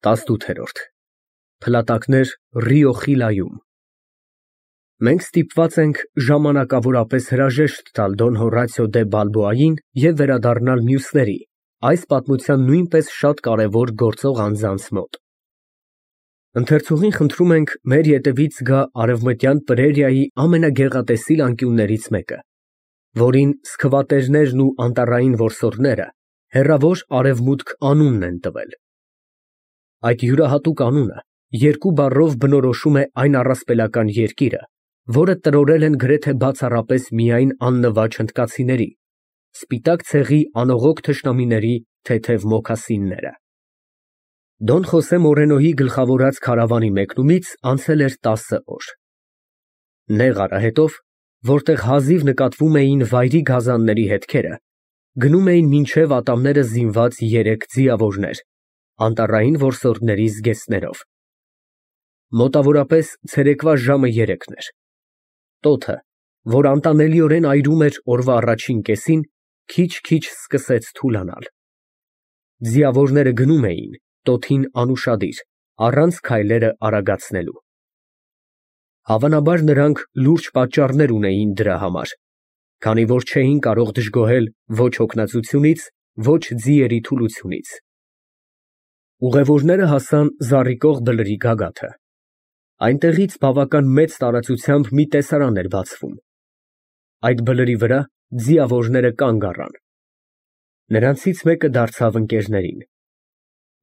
18-րդ Փլատակներ Ռիո Խիլայում։ Մենք ստիպված ենք ժամանակավորապես հրաժեշտ տալ Դոն Հորատիո դե Բալբոային և վերադառնալ մյուսների, այս պատմության նույնպես շատ կարևոր գործող անձանց մոտ։ Ընթերցողին խնդրում ենք մեր ետևից գա Արևմտյան Պրերիայի ամենագեղատեսիլ անկյուններից մեկը, որին սքվատերներն ու անտառային որսորդները հեռավոր Արևմուտք անունն են տվել։ Այդ յուրահատուկ անունը երկու բառով բնորոշում է այն առասպելական երկիրը, որը տրորել են գրեթե բացառապես միայն աննվաջ հնդկացիների, սպիտակ ցեղի անողոք թշնամիների թեթև մոքասինները։ Դոն Խոսե Մորենոյի գլխավորած քարավանի մեկնումից անցել էր 10 օր։ Նեղ արահետով, որտեղ հազիվ նկատվում էին վայրի գազանների հետքերը, գնում էին մինչև ատամները զինված 3 ձիավորներ, անտառային որսորդների զգեստներով։ Մոտավորապես ցերեկվա ժամը 3-ն էր։ Տոթը, որ անտանելիորեն այրում էր օրվա առաջին կեսին, քիչ-քիչ սկսեց թուլանալ։ Ձիավորները գնում էին, տոթին անուշադիր, առանց քայլերը արագացնելու։ Հավանաբար նրանք լուրջ պատճառներ ունեին դրա համար, քանի որ չէին կարող դժգոհել ոչ հոգնածությունից, ոչ ձիերի թուլությունից։ Ուղևորները հասան զառիկող բլրի գագաթը։ Այնտեղից բավական մեծ տարածությամբ մի տեսարան էր բացվում։ Այդ բլրի վրա ձիավորները կանգ առան։ Նրանցից մեկը դարձավ ընկերներին.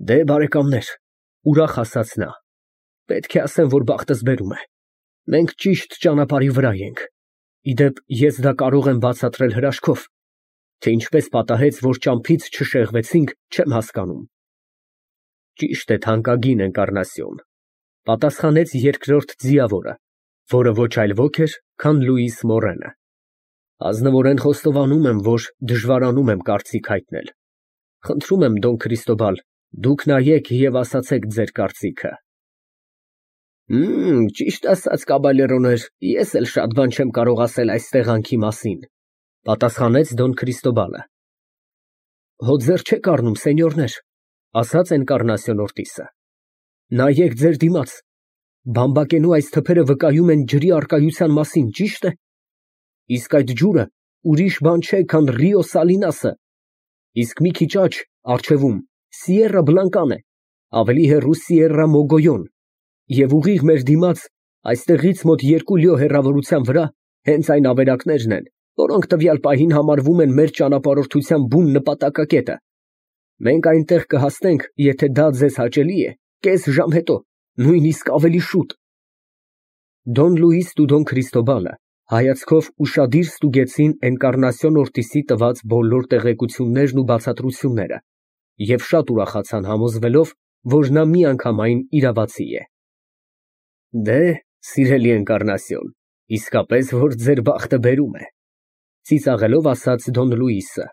Դե բարեկամներ, ուրախ ասաց նա, պետք է ասեմ, որ բախտս բերում է։ Մենք ճիշտ ճանապարհի վրա ենք։ Ի դեպ, ես դա կարող եմ բացատրել հրաշքով, թե ինչպես պատահեց, որ ճամփից չշեղվեցինք, չեմ հասկանում։ Ճիշտ է, թանկագին Էնկառնասիոն, պատասխանեց երկրորդ ձիավորը, որը ոչ այլ ոք էր, քան Լուիս Մորենը։ Ազնվորեն խոստովանում եմ, որ դժվարանում եմ կարծիք հայտնել։ Խնդրում եմ, Դոն Քրիստոբալ, դուք նայեք և ասացեք ձեր կարծիքը։ Ճիշտ ասած, կաբալերոներ, ես էլ շատ բան չեմ կարող ասել այս տեղանքի մասին, պատասխանեց Դոն Քրիստոբալը։ Հո ձեռ չեք առնում, սենյորներ, ասաց Էնկառնասիոն Օրտիսը։ Նայեք ձեր դիմաց, բամբակենու այս թփերը վկայում են ջրի առկայության մասին, ճիշտ է։ Իսկ այդ ջուրը ուրիշ բան չէ, քան Ռիո Սալինասը։ Իսկ մի քիչ աջ, առջևում, Սիերա Բլանկան է, ավելի հեռու Սիերա Մոգոյոն, և ուղիղ մեր դիմաց, այստեղից մոտ 2 լյո հեռավորության վրա, հենց այն ավերակներն են, որոնք տվյալ պահին համարվում են մեր ճանապարհորդության բուն նպատակակետը։ Մենք այնտեղ կհասնենք, եթե դա ձեզ հաճելի է, կես ժամ հետո, նույնիսկ ավելի շուտ։ Դոն Լուիսն ու Դոն Քրիստոբալը հայացքով ուշադիր ստուգեցին Էնկառնասիոն Օրտիսի տված բոլոր տեղեկություններն ու բացատրությունները և շատ ուրախացան համոզվելով, որ նա միանգամայն իրավացի է։ Դե, սիրելի Էնկառնասիոն, իսկապես որ ձեր բախտը բերում է, ծիծաղելով ասաց Դոն Լուիսը։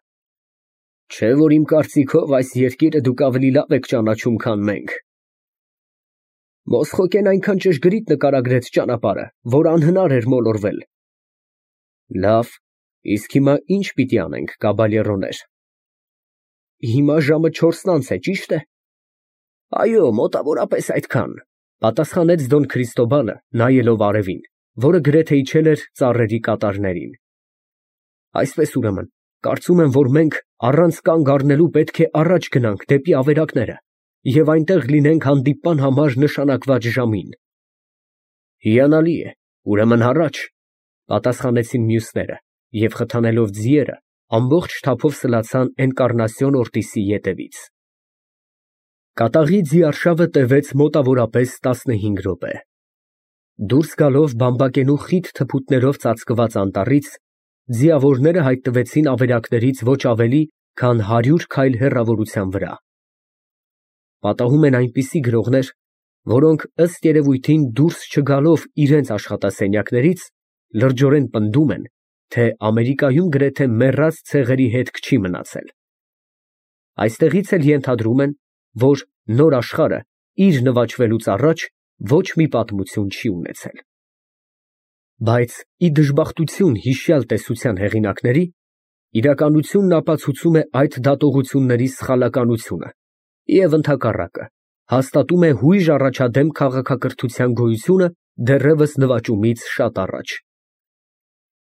Չէ՞ որ իմ կարծիքով այս երկիրը դուք ավելի լավ եք ճանաչում, քան մենք։ Մոսխոկեն այնքան ճշգրիտ նկարագրեց ճանապարհը, որ անհնար էր մոլորվել։ Լավ, իսկ հիմա ինչ պիտի անենք, կաբալերոներ։ Հիմա ժամը 4-ն անց է, ճիշտ է։ Այո, մոտավորապես այդքան, պատասխանեց Դոն Քրիստոբալը, նայելով արևին, որը գրեթե իջել էր ծառերի կատարներին։ Այսպես ուրեմն, կարծում եմ, որ մենք առանց կանգ առնելու պետք է առաջ գնանք դեպի ավերակները և այնտեղ լինենք հանդիպման համար նշանակված ժամին։ Հիանալի է, ուրեմն առաջ, պատասխանեցին մյուսները և խթանելով ձիերը, ամբողջ թափով սլացան Էնկառնասիոն Օրտիսի ետևից։ Կատաղի ձիարշավը տևեց մոտավորապես 15 րոպե։ Դուրս գալով բամբակենու խիտ թփուտներով ծածկված անտառից, ձիավորները հայտնվեցին ավերակներից ոչ ավելի, քան 100 քայլ հեռավորության վրա։ Պատահում են այնպիսի գրողներ, որոնք ըստ երևույթին դուրս չգալով իրենց աշխատասենյակներից, լրջորեն պնդում են, թե Ամերիկայում գրեթե մեռած ցեղերի հետք չի մնացել։ Այստեղից էլ ենթադրում են, որ նոր աշխարհը իր նվաճվելուց առաջ ոչ մի պատմություն չի ունեցել։ Բայց ի դժբախտություն հիշյալ տեսության հեղինակների, իրականությունն ապացուցում է այդ դատողությունների սխալականությունը և ընդհակառակը, հաստատում է հույժ առաջադեմ քաղաքակրթության գոյությունը դեռևս նվաճումից շատ առաջ։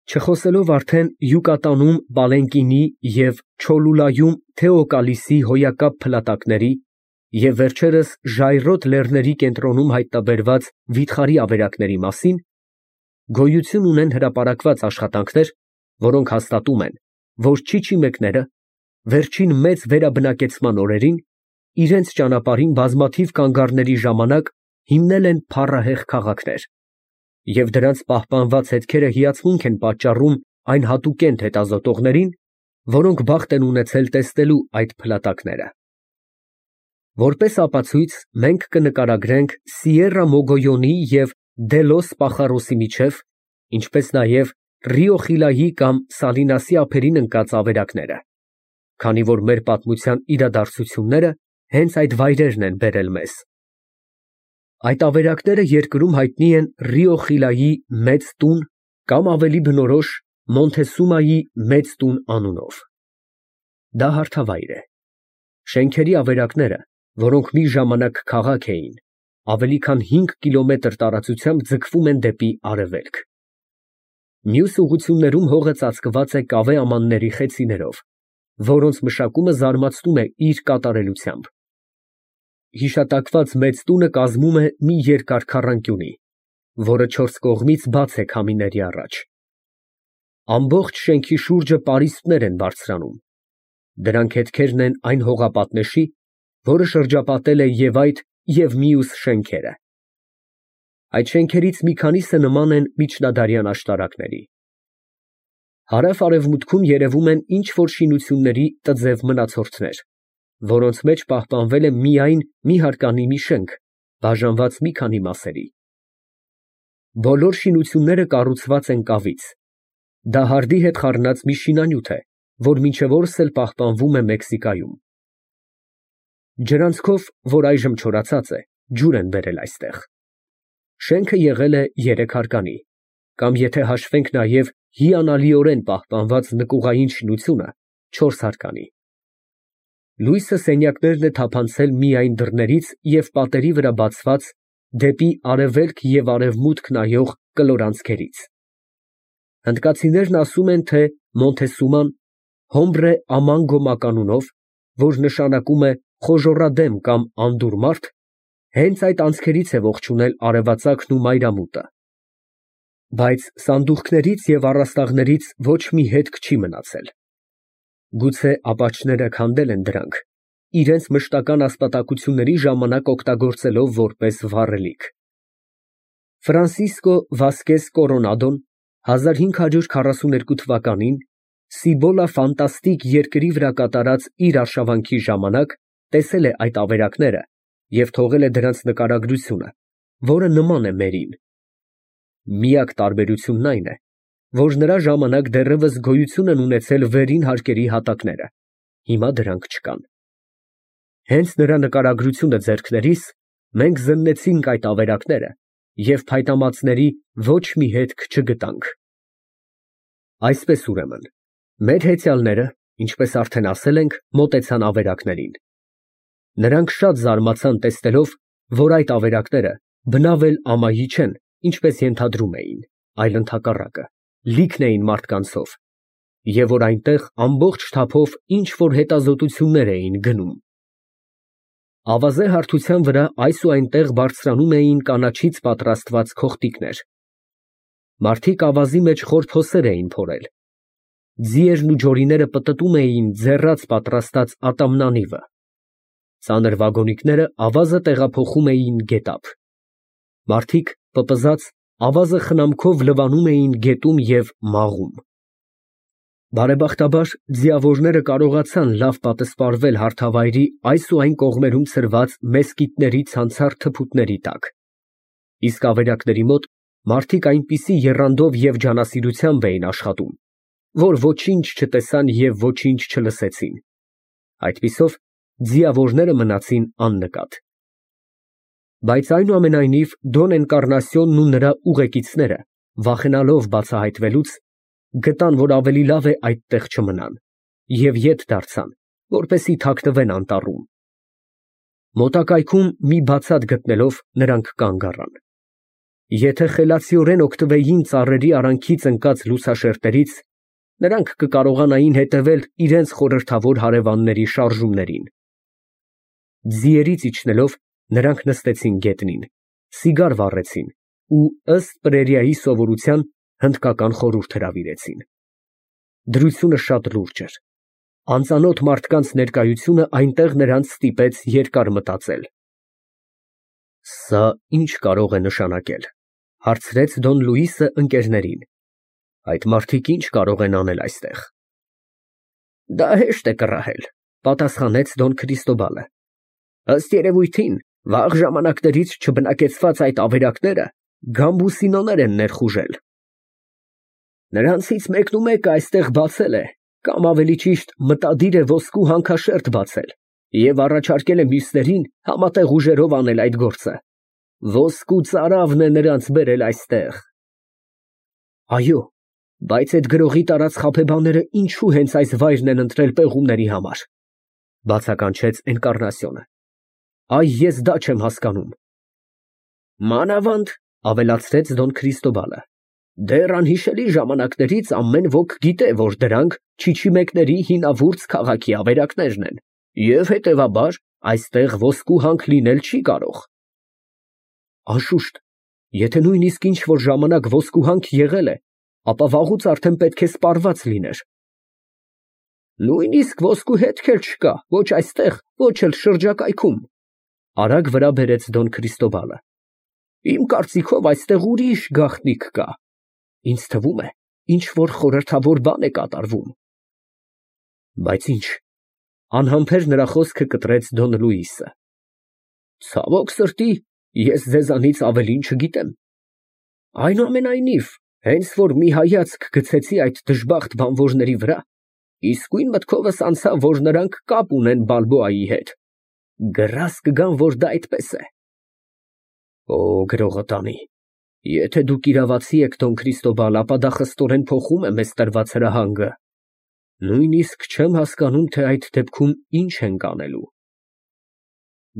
Չխոսելով արդեն Յուկատանում Պալենկինի և Չոլուլայում Թեոկալիսի հոյակապ փլատակների և վերջերս Ժայռոտ լեռների կենտրոնում հայտնաբերված վիթխարի ավերակների մասին, գոյություն ունեն հրապարակված աշխատանքներ, որոնք հաստատում են, որ չիչիմեկները վերջին մեծ վերաբնակեցման օրերին իրենց ճանապարհին բազմաթիվ կանգառների ժամանակ հիմնել են փառահեղ քաղաքներ, և դրանց պահպանված հետքերը հիացմունք են պատճառում այն հատուկենտ հետազոտողներին, որոնք բախտ են ունեցել տեսնելու այդ փլատակները։ Որպես ապացույց մենք կնկարագրենք Սիերա Մոգոյոնի և Դելոս Պախարոսի միջև, ինչպես նաև Ռիո Խիլայի կամ Սալինասի ափերին ընկած ավերակները, քանի որ մեր պատմության իրադարձությունները հենց այդ վայրերն են բերել մեզ։ Այդ ավերակները երկրում հայտնի են Ռիո Խիլայի Մեծ տուն կամ ավելի բնորոշ Մոնթեսումայի Մեծ տուն անունով։ Դա հարթավայր է։ Շենքերի ավերակները, որոնք մի ժամանակ քաղաք էին, ավելի քան 5 կիլոմետր տարածությամբ ձգվում են դեպի արևելք։ Մյուս ուղղություններում հողը ծածկված է կավե ամանների խեցիներով, որոնց մշակումը զարմացնում է իր կատարելությամբ։ Հիշատակված մեծ տունը կազմում է մի երկար քառանկյունի, որը 4 կողմից բաց է քամիների առաջ։ Ամբողջ շենքի շուրջը պարիսպներ են բարձրանում։ Դրանք հետքերն են այն հողապատնեշի, որը շրջապատել է և այդ, և մյուս շենքերը։ Այդ շենքերից մի քանիսը նման են միջնադարյան աշտարակների։ Հարավ֊արևմուտքում երևում են ինչ֊որ շինությունների տձև մնացորդներ, որոնց մեջ պահպանվել է միայն մի հարկանի մի շենք, բաժանված մի քանի մասերի։ Բոլոր շինությունները կառուցված են կավից։ Դա հարդի հետ խառնած մի շինանյութ է, որ մինչև օրս էլ պահպանվում է Մեքսիկայում։ Ջրանցքով, որ այժմ չորացած է, ջուր են բերել այստեղ։ Շենքը եղել է 3 հարկանի, կամ եթե հաշվենք նաև հիանալիորեն պահպանված նկուղային շինությունը, 4 հարկանի։ Լույսը սենյակներն է թափանցել միայն դռներից և պատերի վրա բացված դեպի արևելք և արևմուտք նայող կլոր անցքերից։ Հնդկացիներն ասում են, թե Մոնթեսուման Հոմբրե Ամանգո մականունով, որ նշանակում է խոժոռադեմ կամ անդուր մարդ, հենց այդ անցքերից է ողջունել արևածագն ու մայրամուտը։ Բայց սանդուղքներից և առաստաղներից ոչ մի հետք չի մնացել։ Գուցե ապաչները քանդել են դրանք, իրենց մշտական ասպատակությունների ժամանակ օգտագործելով որպես վառելիք։ Ֆրանսիսկո Վասկես Կորոնադոն 1542 թվականին Սիբոլա ֆանտաստիկ երկրի վրա կատարած իր արշավանքի ժամանակ տեսել է այդ ավերակները և թողել է դրանց նկարագրությունը, որը նման է մերին։ Միակ տարբերությունն այն է, որ նրա ժամանակ դեռևս գոյություն են ունեցել վերին հարկերի հատակները, հիմա դրանք չկան։ Հենց նրա նկարագրությունը ձեռքներիս մենք զննեցինք այդ ավերակները և փայտամածների ոչ մի հետք չգտանք։ Այսպես ուրեմն, մեր հեծյալները, ինչպես արդեն ասել ենք, մոտեցան ավերակներին։ Նրանք շատ զարմացան տեսնելով, որ այդ ավերակները բնավ էլ ամայի չեն, ինչպես ենթադրում էին, այլ ընդհակառակը, լիքն էին մարդկանցով, և որ այնտեղ ամբողջ թափով ինչ֊որ հետազոտություններ էին գնում։ Ավազե հարթության վրա այս ու այնտեղ բարձրանում էին կանաչից պատրաստված քոխտիկներ։ Մարդիկ ավազի մեջ խոր փոսեր էին փորել։ Ձիերն ու ջորիները պտտում էին ձեռած պատրաստած ատամնանիվը։ Ծանր վագոնիկները ավազը տեղափոխում էին գետափ։ Մարդիկ, պպզած, ավազը խնամքով լվանում էին գետում և մաղում։ Բարեբախտաբար, ձիավորները կարողացան լավ պատսպարվել հարթավայրի այս ու այն կողմերում ցրված մեսկիթների ցանցառ թփուտների տակ, իսկ ավերակների մոտ մարդիկ այնպիսի եռանդով և ջանասիրությամբ էին աշխատում, որ ոչինչ չտեսան և ոչինչ չլսեցին։ Այդպիսով ձիավորները մնացին աննկատ։ Բայց այնուամենայնիվ Դոն Էնկառնասիոնն ու նրա ուղեկիցները, վախենալով բացահայտվելուց, գտան, որ ավելի լավ է այդտեղ չմնան, և ետ դարձան, որպեսզի թաքնվեն անտառում։ Մոտակայքում մի բացատ գտնելով նրանք կանգ առան։ Եթե խելացիորեն օգտվեին ծառերի արանքից ընկած լուսաշերտերից, նրանք կկարողանային հետևել իրենց խորհրդավոր հարևանների շարժումներին։ Ձիերից իջնելով նրանք նստեցին գետնին, սիգար վառեցին ու ըստ Պրերիայի սովորության հնդկական խորհուրդ հրավիրեցին։ Դրությունը շատ լուրջ էր։ Անծանոթ մարդկանց ներկայությունը այնտեղ նրանց ստիպեց երկար մտածել։ Սա ինչ կարող է նշանակել, հարցրեց Դոն Լուիսը ընկերներին։ Այդ մարդիկ ինչ կարող են անել այստեղ։ Դա հեշտ է կռահել, պատասխանեց Դոն Քրիստոբալը։ Ըստ երևույթին, վաղ ժամանակներից չբնակեցված այդ ավերակները գամբուսինոներ են ներխուժել։ Նրանցից մեկն ու մեկը այստեղ բացել է, կամ ավելի ճիշտ մտադիր է ոսկու հանքաշերտ բացել և առաջարկել է մյուսներին համատեղ ուժերով անել այդ գործը։ Ոսկու ծարավն է նրանց բերել այստեղ։ Այո, բայց այդ գրողի տարած խաբեբաները ինչու հենց այս վայրն են ընտրել պեղումների համար, բացականչեց Էնկառնասիոնը։ Այ ես դա չեմ հասկանում։ Մանավանդ, ավելացրեց Դոն Քրիստոբալը, դեռ անհիշելի ժամանակներից ամեն ոք գիտե, որ դրանք չիչիմեկների հինավուրց քաղաքի ավերակներն են, և հետևաբար այստեղ ոսկու հանք լինել չի կարող։ Անշուշտ, եթե նույնիսկ ինչ-որ ժամանակ ոսկու հանք եղել է, ապա վաղուց արդեն պետք է սպառված լիներ։ Նույնիսկ ոսկու հետք էլ չկա, ոչ այստեղ, ոչ էլ շրջակայքում, արագ վրա բերեց Դոն Քրիստոբալը։ Իմ կարծիքով այստեղ ուրիշ գաղտնիք կա։ Ինձ թվում է, ինչ-որ խորհրդավոր բան է կատարվում։ Բայց ինչ, անհամբեր նրա խոսքը կտրեց Դոն Լուիսը։ Ցավոք սրտի, ես ձեզանից ավելին չգիտեմ։ Այնուամենայնիվ, հենց որ մի հայացք գցեցի այդ դժբախտ բանվորների վրա, իսկույն մտքովս անցավ, որ նրանք կապ ունեն Բալբոայի հետ։ Գրազ կգամ, որ դա այդպես է։ Օ, գրողը տանի, եթե դուք իրավացի եք, Դոն Քրիստոբալ, ապա դա խստորեն փոխում է մեզ տրված հրահանգը։ Նույնիսկ չեմ հասկանում, թե այդ դեպքում ինչ ենք անելու։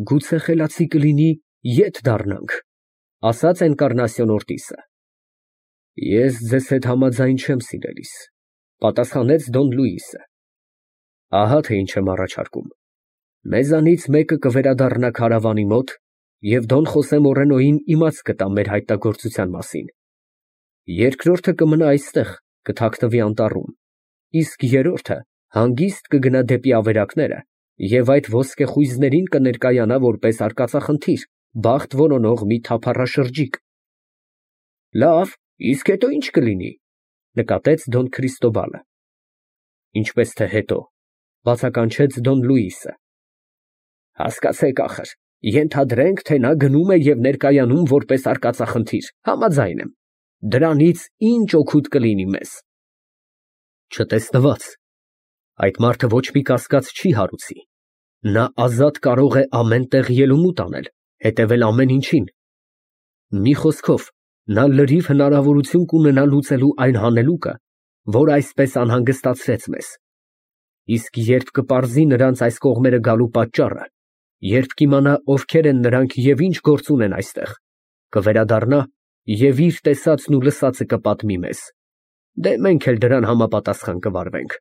Գուցե խելացի կլինի ետ դառնանք, ասաց Էնկառնասիոն Օրտիսը։ Ես ձեզ հետ համաձայն չեմ, սիրելիս, պատասխանեց Դոն Լուիսը։ Ահա թե ինչ եմ առաջարկում։ Մեզանից մեկը կվերադառնա քարավանի մոտ և Դոն Խոսե Մորենոյին իմաց կտա մեր հայտնագործության մասին։ Երկրորդը կմնա այստեղ, կթաքնվի անտառում, իսկ երրորդը հանգիստ կգնա դեպի ավերակները և այդ ոսկեխույզներին կներկայանա որպես արկածախնդիր, բախտ որոնող մի թափառաշրջիկ։ Լավ, իսկ հետո ինչ կլինի, նկատեց Դոն Քրիստոբալը։ Ինչպես թե հետո, բացականչեց Դոն Լուիսը։ Հասկացեք ախր, ենթադրենք, թե նա գնում է և ներկայանում որպես արկածախնդիր, համաձայն եմ։ Դրանից ինչ օգուտ կլինի մեզ։ Չտեսնված, այդ մարդը ոչ մի կասկած չի հարուցի։ Նա ազատ կարող է ամեն տեղ ելումուտ անել, հետևել ամեն ինչին։ Մի խոսքով, նա լրիվ հնարավորություն կունենա լուծելու այն հանելուկը, որ այսպես անհանգստացրեց մեզ։ Իսկ երբ կպարզի նրանց այս կողմերը գալու պատճառը, երբ կիմանա ովքեր են նրանք և ինչ գործ ունեն այստեղ, կվերադառնա և իր տեսածն ու լսածը կպատմի մեզ։ Դե մենք էլ դրան համապատասխան կվարվենք։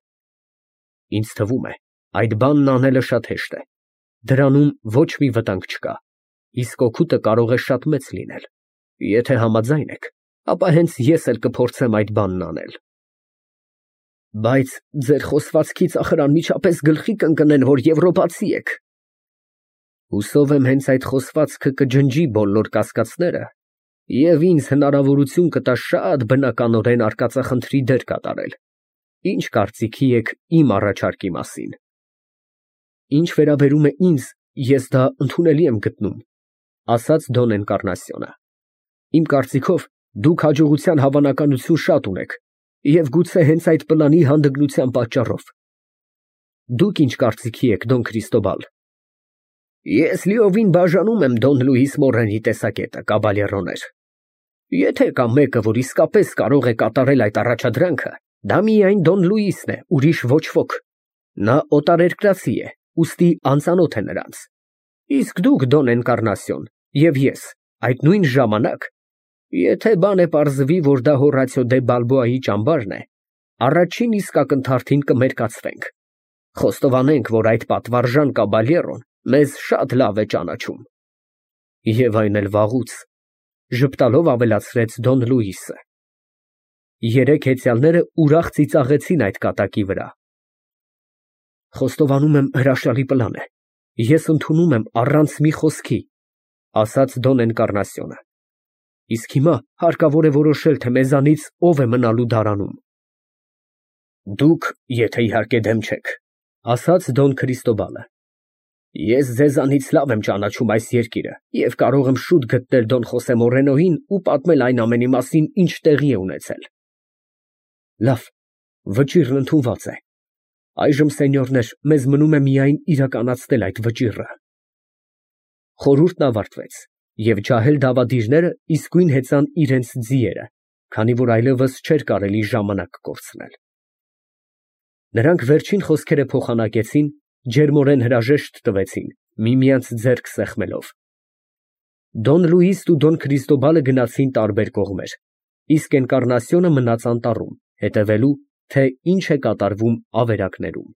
Ինձ թվում է, այդ բանն անելը շատ հեշտ է։ Դրանում ոչ մի վտանգ չկա, իսկ օգուտը կարող է շատ մեծ լինել։ Եթե համաձայն եք, ապա հենց ես էլ կփորձեմ այդ բանն անել։ Բայց ձեր խոսվածքից ախր անմիջապես գլխի կընկնեն, որ եվրոպացի եք։ Հուսով եմ հենց այդ խոսվածքը կջնջի բոլոր կասկածները և ինձ հնարավորություն կտա շատ բնականորեն արկածախնդրի դեր կատարել։ Ինչ կարծիքի եք իմ առաջարկի մասին։ Ինչ վերաբերում է ինձ, ես դա ընդունելի եմ գտնում, ասաց Դոն Էնկառնասիոնը։ Իմ կարծիքով, դուք հաջողության հավանականություն շատ ունեք և գուցե հենց այդ պլանի հանդգնության պատճառով։ Դուք ինչ կարծիքի եք, Դոն Քրիստոբալ։ Ես լիովին բաժանում եմ Դոն Լուիս Մորենի տեսակետը, կաբալերոներ։ Եթե կա մեկը, որ իսկապես կարող է կատարել այդ առաջադրանքը, դա միայն Դոն Լուիսն է, ուրիշ ոչ ոք։ Նա օտարերկրացի է, ուստի անծանոթ է նրանց։ Իսկ դուք, Դոն Էնկառնասիոն, և ես, այդ նույն ժամանակ, եթե բան է պարզվի, որ դա Հորացիո դե Բալբոայի ճամբարն է, առաջին իսկ ակնթարթին կմերկացվենք, խոստովանենք, որ այդ պատվարժան կաբալյերոն մեզ շատ լավ է ճանաչում։ Եվ այն էլ վաղուց, ժպտալով ավելացրեց Դոն Լուիսը։ Երեք հեծյալները ուրախ ծիծաղեցին այդ կատակի վրա։ Խոստովանում եմ, հրաշալի պլան է։ Ես ընդունում եմ առանց մի խոսքի, ասաց Դոն Էնկառնասիոնը։ Իսկ հիմա հարկավոր է որոշել, թե մեզանից ով է մնալու դարանում։ Դուք, եթե իհարկե դեմ չեք, ասաց Դոն Քրիստոբալը։ Ես ձեզանից լավ եմ ճանաչում այս երկիրը և կարող եմ շուտ գտնել Դոն Խոսե Մորենոյին ու պատմել այն ամենի մասին, ինչ տեղի է ունեցել։ Լավ, վճիռն ընդունված է։ Այժմ, սենյորներ, մեզ մնում է միայն իրականացնել այդ վճիռը։ Խորհուրդն ավարտվեց, և ջահել դավադիրները իսկույն հեծան իրենց ձիերը, քանի որ այլևս չէր կարելի ժամանակ կորցնել։ Նրանք վերջին խոսքերը փոխանակեցին, ջերմորեն հրաժեշտ տվեցին, միմյանց ձեռք սեղմելով։ Դոն Լուիսն ու Դոն Քրիստոբալը գնացին տարբեր կողմեր, իսկ Էնկառնասիոնը մնաց անտառում, հետևելու, թե ինչ է կատարվում ավերակներում։